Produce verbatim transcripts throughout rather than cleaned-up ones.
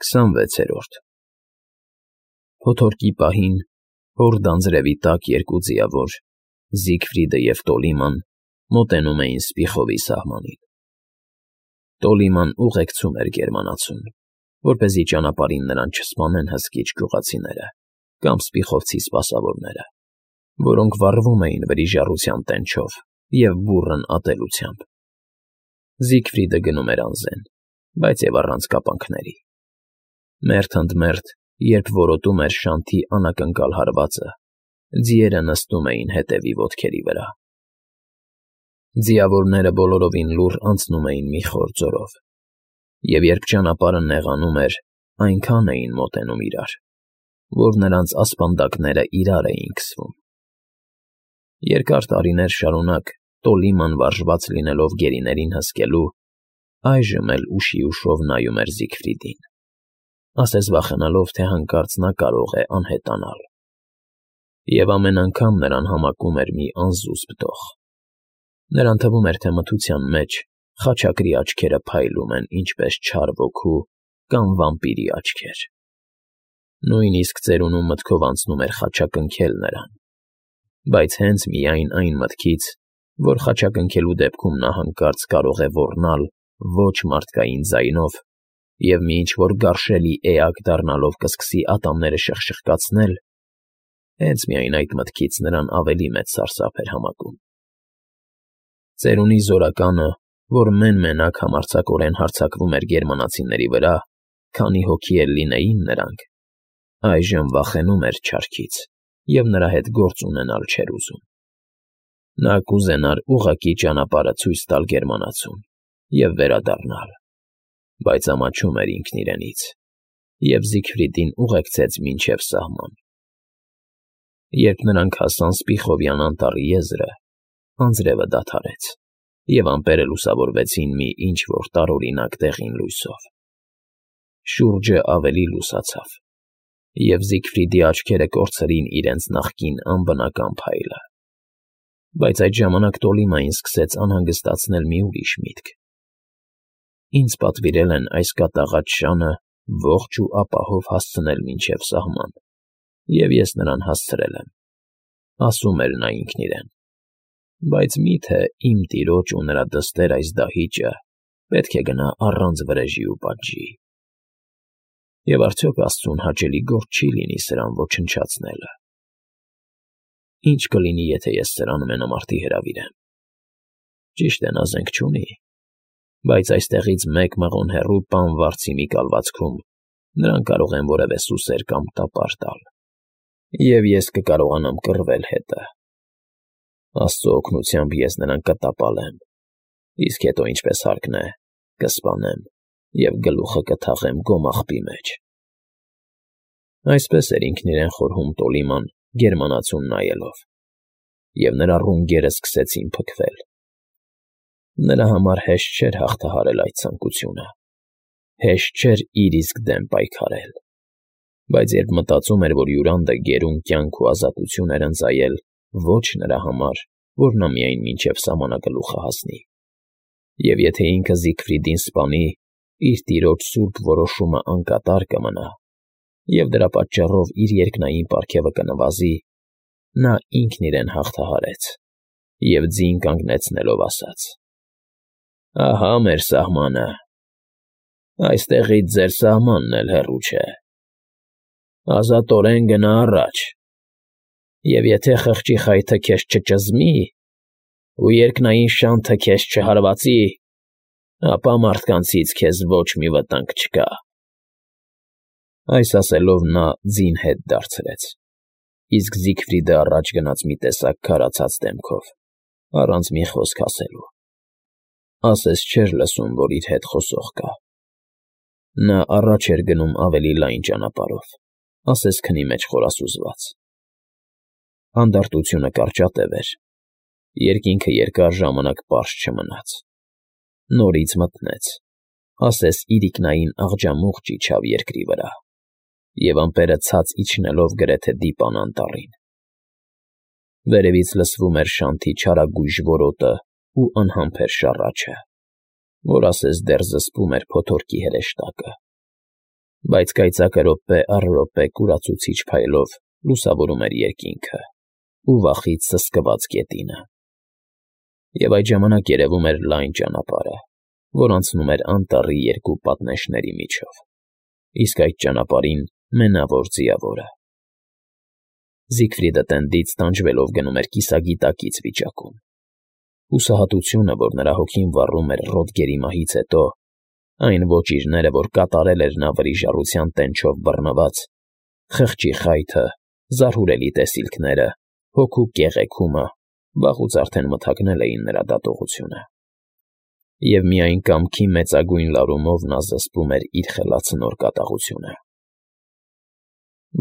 քսանվեցերորդ Փոթորկի պահին հորդանձրևի տակ երկու ձիավոր՝ Զիգֆրիդը և Տոլիման, մոտենում էին Սպիխովի սահմանին. Տոլիման ուղեկցում էր գերմանացուն, որպեսզի ճանապարհին նրան չսպանեն հսկիչ գյուղացիները կամ սպիխովցի սպասավորները, որոնք վառվում էին վրիժառության տենչով և բուռն ատելությամբ. Զիգֆրիդը գնում էր անզեն, բայց և առանց կապանքների. մերթ ընդ մերթ, երբ որոտում էր շանթի անակնկալ հարվածը, ձիերը նստում էին հետևի ոտքերի վրա. Ձիավորները բոլորովին լուռ անցնում էին մի խոր ձորով, և երբ ճանապարհը նեղանում էր, այնքան էին մոտենում իրար, որ նրանց ասպանդակները իրար էին քսվում։ Երկար տարիներ շարունակ Տոլիման վարժված լինելով գերիներին հսկելու, այժմ էլ ուշի ուշով նայում էր Զիգֆրիդին, ասես վախենալով, թե հանկարծ նա կարող է անհետանալ։ Եվ ամեն անգամ նրան համակում էր մի անզուսպ դող. նրան թվում էր, թե մթության մեջ խաչակրի աչքերը փայլում են ինչպես չար ոգու կամ վամպիրի աչքեր։ Նույնիսկ ծերունու մտքով անցնում էր խաչակնքել նրան, բայց հենց միայն այն մտքից, որ խաչակնքելու դեպքում նա հանկարծ կարող է ոռնալ ոչ մարդկային ձայնով և մի ինչ-որ գարշելի էակ դառնալով կսկսի ատամները շխշխկացնել, հենց միայն այդ մտքից նրան ավելի մեծ սարսափ էր համակում։ Ծերունի զորականը, որ մեն֊մենակ համարձակորեն հարձակվում էր գերմանացիների վրա, քանի հոգի էլ լինեին նրանք, այժմ վախենում էր չարքից և նրա հետ գործ ունենալ չէր ուզում։ Նա կուզենար ուղղակի ճանապարհը ցույց տալ գերմանացուն և վերադառնալ, բայց ամաչում էր ինքն իրենից և Զիգֆրիդին ուղեկցեց մինչև սահման։ Երբ նրանք հասան Սպիխովյան անտառի եզրը, անձրևը դադարեց, և ամպերը լուսավորվեցին մի ինչ֊որ տարօրինակ դեղին լույսով։ Շուրջը ավելի լուսացավ, և Զիգֆրիդի աչքերը կորցրին իրենց նախկին անբնական փայլը։ Բայց այդ ժամանակ Տոլիմային սկսեց անհանգստացնել մի ուրիշ միտք. «Ինձ պատվիրել են այս կատաղած շանը ողջ ու ապահով հասցնել մինչև սահման, և ես նրան հասցրել եմ»,֊ ասում էր նա ինքն իրեն, «բայց մի՞թե իմ տիրոջ ու նրա դստեր այս դահիճը պետք է գնա առանց վրեժի ու պատժի։ Եվ արդյոք աստծուն հաճելի գործ չի լինի սրան ոչնչացնելը։ Ի՞նչ կլինի, եթե ես սրան մենամարտի հրավիրեմ։ Ճիշտ է, նա զենք չունի, բայց այստեղից մեկ մղոն հեռու պան վարձի մի կալվածքում նրան կարող են որևէ սուսեր կամ տապար տալ, և ես կկարողանամ կռվել հետը։ Աստծո օգնությամբ ես նրան կտապալեմ, իսկ հետո, ինչպես հարկն է, կսպանեմ և գլուխը կթաղեմ գոմաղբի մեջ»։ Այսպես էր ինքն իրեն խորհում Տոլիման գերմանացուն նայելով, և նրա ռունգերը սկսեցին փքվել։ Նրա համար հեշտ չէր հաղթահարել այդ ցանկությունը, հեշտ չէր իր իսկ դեմ պայքարել, բայց երբ մտածում էր, որ հյուրանդը գերուն կյանք ու ազատություն էր ընծայել ոչ նրա համար, որ նա միայն մինչև սահմանակլուխը հասնի, և եթե ինքը Զիգֆրիդին սպանի, իր տիրոջ սուրբ որոշումը անկատար կմնա, և դրա պատճառով իր երկնային պարգևը կնվազի, նա ինքն իրեն հաղթահարեց և ձին կանգնեցնելով ասաց. «Ահա մեր սահմանը, այստեղից ձեր սահմանն էլ հեռու չէ։ Ազատորեն գնա առաջ, և եթե խղճի խայթը քեզ չճզմի ու երկնային շանթը քեզ չհարվածի, ապա մարդկանցից քեզ ոչ մի վտանգ չկա»։ Այս ասելով նա ձին հետ դարձրեց, իսկ Զիգֆրիդը առաջ գնաց մի տեսակ քարացած դեմքով, առանց մի խոսք ասելու, ասես չէր լսում, որ իր հետ խոսող կա։ Նա առաջ էր գնում ավելի լայն ճանապարհով, ասես քնի մեջ խորասուզված։ Հանդարտությունը կարճատև էր, երկինքը երկար ժամանակ պարզ չմնաց, նորից մթնեց, ասես իրիկնային աղջամուղջ իջավ երկրի վրա, և ամպերը ցած իջնելով գրեթե դիպան անտառին։ Վերևից լսվում էր շանթի չարագույժ որոտը ու անհամբեր շառաչը, որ ասես դեռ զսպում էր փոթորկի հրեշտակը։ Բայց կայծակը րոպե առ րոպե կուրացուցիչ փայլով լուսավորում էր երկինքը ու վախից սսկված գետինը։ Եվ այդ ժամանակ երևում էր լայն ճանապարհը, որ անցնում էր անտառի երկու պատնեշների միջով, իսկ այդ ճանապարհին Մենավոր Ձիավորը։ Զիգֆրիդը տենդից տանջվելով գնում էր կիսագիտակից վիճակում։ Հուսահատությունը, որ նրա հոգին վառում էր Ռոդգերի մահից հետո, այն ոճիրները, որ կատարել էր նա վրիժառության տենչով բռնված, խղճի խայթը, զարհուրելի տեսիլքները, հոգու կեղեքումը վաղուց արդեն մթագնել էին նրա դատողությունը։ Եվ միայն կամքի մեծագույն լարումով նա զսպում էր իր խելացնոր կատաղությունը։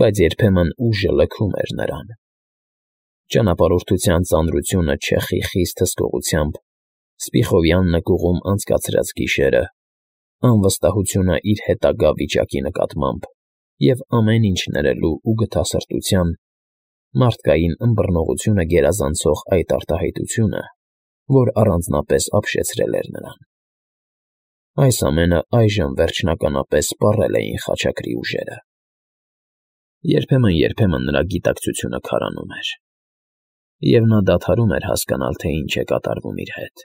Բայց երբեմն ուժը լքում էր նրան։ Ճանապարհորդության ծանրությունը չեխի խիստ հսկողությամբ, Սպիխովյան նկուղում անցկացրած գիշերը, անվստահությունը իր հետագա վիճակի նկատմամբ և ամեն ինչ ներելու ու գթասրտության, մարդկային ըմբռնողությունը գերազանցող այդ արտահայտությունը, որ առանձնապես ապշեցրել էր նրան։ Այս ամենը այժմ վերջնականապես սպառել էին խաչակրի ուժերը։ Երբեմն-երբեմն նրա գիտակցությունը քարանում էր, և նա դադարում էր հասկանալ, թե ինչ է կատարվում իր հետ։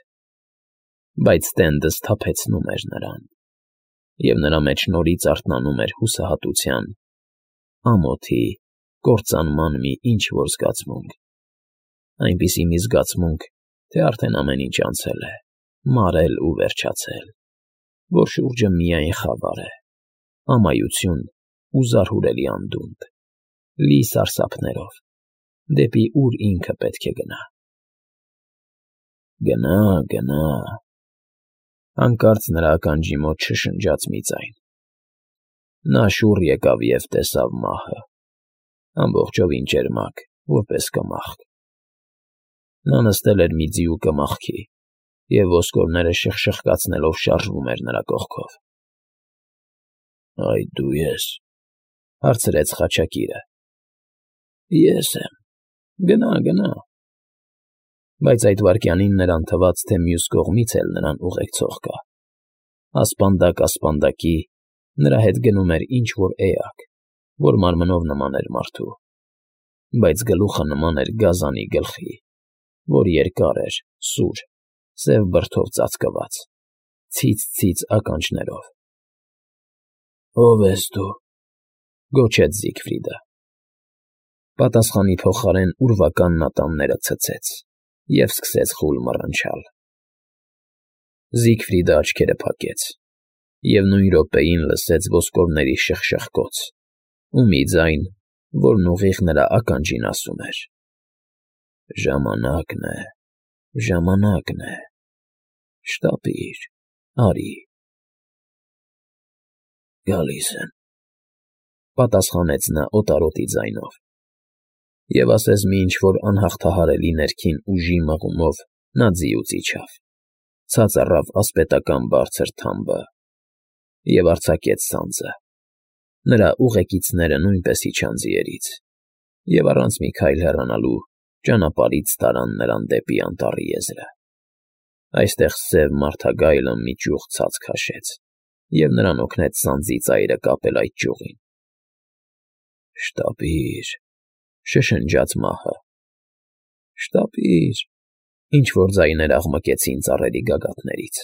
Բայց տենդը սթափեցնում էր նրան, և նրա մեջ նորից արթնանում էր հուսահատության, ամոթի, կործանման մի ինչ֊որ զգացմունք, այնպիսի մի զգացմունք, թե արդեն ամեն ինչ անցել է, մարել ու վերջացել, որ շուրջը միայն խավար է, ամայություն ու զարհուրելի անդունդ, լի սարսափներով, դեպի ուր ինքը պետք է գնա։ Գնա, գնա… Հանկարծ նրա ականջի մոտ շշնջաց մի ձայն։ Նա շուռ եկավ և տեսավ մահը, ամբողջովին ճերմակ, որպես կմախք։ Նա նստել էր մի ձիու կմախքի, և ոսկորները շխշխկացնելով շարժվում էր նրա կողքով։ ֊ Այդ դու ես,֊ հարցրեց խաչակիրը։ ֊ Ես եմ, գնա, գնա… Բայց այդ վայրկյանին նրան թվաց, թե մյուս կողմից էլ նրան ուղեկցող կա։ Ասպանդակ ասպանդակի նրա հետ գնում էր ինչ֊որ էակ, որ մարմնով նման էր մարդու, բայց գլուխը նման էր գազանի գլխի, որ երկար էր, սուր, սև բրդով ծածկված, ցից֊ցից ականջներով։ ֊ Ո՞վ ես դու,֊ գոչեց Զիգֆրիդը։ Պատասխանի փոխարեն ուրվական նատանները ցցեց և սկսեց խուլ մռնչալ։ Զիգֆրիդը աչքերը փակեց և նույն րոպեին լսեց ոսկորների շխշխկոց ու մի ձայն, որն ուղիղ նրա ականջին ասում էր. «Ժամանակն է, ժամանակն է… Շտապիր, արի…»։ ֊ Գալիս եմ,֊ պատասխանեց նա օտարոտի ձայնով, և ասես մի ինչ֊որ անհաղթահարելի ներքին ուժի մղումով նա ձիուց իջավ, ցած առավ ասպետական բարձր թամբը և արձակեց սանձը։ Նրա ուղեկիցները նույնպես իջան ձիերից և առանց մի քայլ հեռանալու ճանապարհից տարան նրան դեպի անտառի եզրը։ Այստեղ սև մարդագայլը մի ճյուղ ցած քաշեց և նրան օգնեց սանձի ծայրը կապել այդ ճյուղին։ ֊ Շտապի՛ր,֊ շշնջաց մահը։ ֊ Շտապի՛ր,֊ ինչ֊որ ձայներ աղմկեցին ծառերի գագաթներից։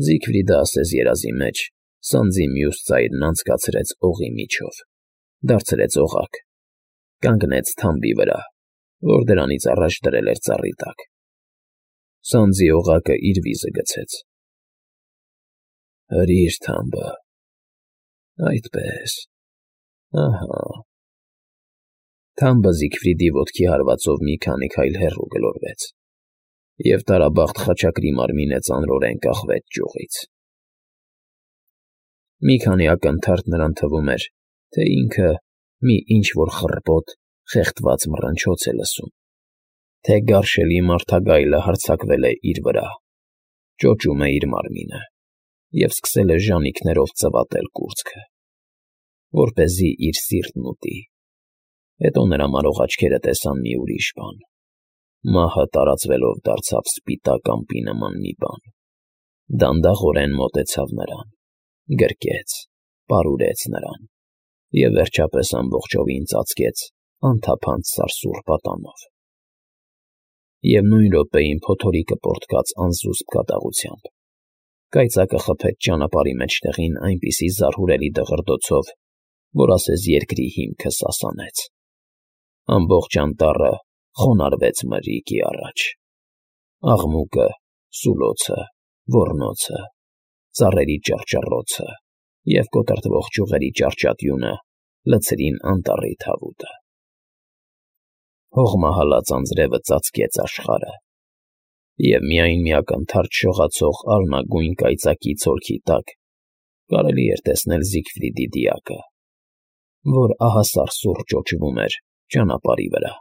Զիգֆրիդը ասես երազի մեջ սանձի մյուս ծայրն անցկացրեց օղի միջով, դարձրեց օղակ, կանգնեց թամբի վրա, որ դրանից առաջ դրել էր ծառի տակ։ Սանձի օղակը իր վիզը գցեց։ ֊ Հրի՛ր թամբը… Այդպես… Ահա… Թամբը Զիգֆրիդի ոտքի հարվածով մի քանի քայլ հեռու գլորվեց, և տարաբախտ խաչակրի մարմինը ծանրորեն կախվեց ճյուղից։ Մի քանի ակնթարթ նրան թվում էր, թե ինքը մի ինչ֊որ խռպոտ, խեղդված մռնչոց է լսում, թե գարշելի մարդագայլը հարձակվել է իր վրա, ճոճում է իր մարմինը և սկսել է ժանիքներով ծվատել կուրծքը, որպեսզի իր սիրտն ուտի։ Հետո նրա մարող աչքերը տեսան մի ուրիշ բան. մահը տարածվելով դարձավ սպիտակ ամպի նման մի բան, դանդաղորեն մոտեցավ նրան, գրկեց պարուրեց նրան և վերջապես ամբողջովին ծածկեց անթափանց սարսուռ պատանով։ Եվ նույն րոպեին փոթորիկը պոռթկաց անզուսպ կատաղությամբ, կայծակը խփեց ճանապարհի մեջտեղին այնպիսի զարհուրելի դղրդոցով, որ ասես երկրի հիմքը սասանեց։ Ամբողջ անտառը խոնարհվեց մրրիկի առաջ։ Աղմուկը, սուլոցը, ոռնոցը, ծառերի ճռճռոցը և կոտրտվող ճյուղերի ճարճատյունը լցրին անտառի թավուտը։ Հողմահալած անձրևը ծածկեց աշխարհը, և միայն մի ակնթարթ շողացող արյունագույն կայծակի ցոլքի տակ կարելի էր տեսնել Զիգֆրիդի դիակը, որ ահասարսուռ ճոճվում էր ճանապարհի վրա։